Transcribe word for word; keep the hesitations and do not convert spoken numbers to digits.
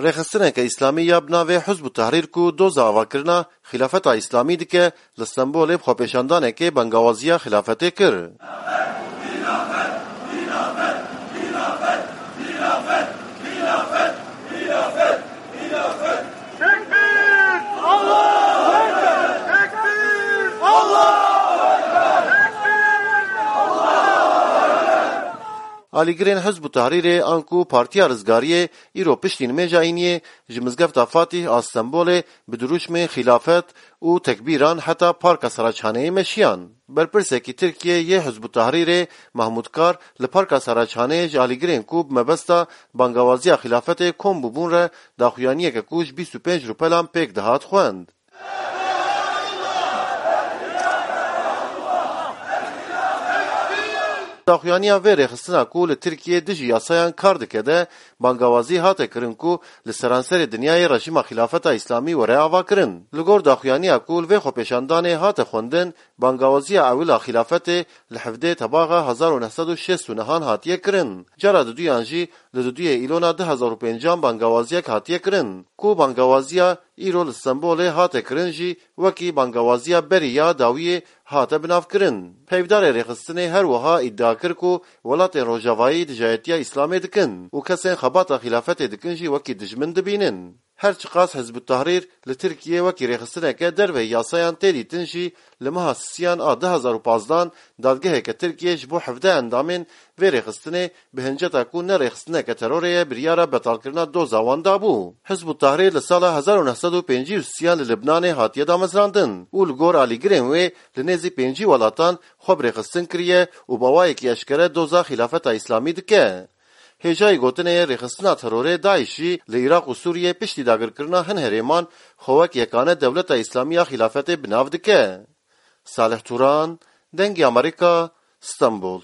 Rêxistineke Îslamî ya bi navê Hizb ut-Tehrîr ku doza avakirina Xîlafeta Îslamî dike, li Stenbolê bi xwepêşandanekê bangawaziya xîlafetê kir. Alîgirên Hizb ut-Tehrîrê anku Partiya Rizgariyê îro piştî nimêja îniyê ji Mizgefta Fatîh a Stenbolê bi dirûşmên xîlafet û tekbîran heta Parka Saraçhaneyê meşiyan. Berpirsekî Tirkiyê yê Hizb ut-Tehrîrê Mahmûd Kar li Parka Saraçhaneyê ji alîgirên ku bi mebesta bangawaziya xîlafetê kom bûbûn re daxuyaniyeke ku ji bîst û pênc rûpelan pêk dihat xwend. Daxuyaniya vê rêxistina ku li Tirkiyê dijî yasayan kar dike de bangawazî hate kirin ku li seranserê dinyayê rejîma Xîlafeta Îslamî were avakirin. Li gor daxuyaniya ku li vê xwepêşandanê hate xwendin, bangawaziya ewil a xîlafetê li hevdeh Tebaxa hezar û neh sed û şêst û nehan hatiye kirin. Cara diduyan jî li duduyê Îlona du hezar û pêncan bangawaziyek hatiye kirin, ku bangawaziya îro li Stenbolê hate kirin jî wekî bangawaziya berî ya dawiyê hate binavkirin. Peyvdarê rêxistinê her wiha îdia kir ku welatên Rojavayî dijayetiya Îslamê dikin û kesên xebata xîlafetê dikin jî wekî dijmin dibînin. Her çiqas Hizb ut-Tehrîr li Tirkiyê wekî rêxistineke derveyî yasayan tê dîtin jî, li meha Sisiyan a du hezar û pazdan dadgeheke Tirkiyê ji bo hevdeh endamên vê rêxistinê bi hinceta ku ne rêxistineke terorê ye, biryara betalkirina doza wan dabû. Hizb ut-Tehrîr li sala hezar û neh sed û pêncî û sêyan li Libnanê hatiye damezrandin û li gor alîgirên wê li nêzî pêncî welatan xwe bi rêxistin kiriye û bi awayekî eşkere doza Xîlafeta Îslamî dike. Hêjayî gotinê rêxistina terorê DAIŞ jî li Iraq û Sûriyê piştî dagirkirina hin herêman xwe wek yekane Dewleta Îslamî ya Xîlafetê bi nav dike. Salih Turan, Dengê Amerîka, Stenbol.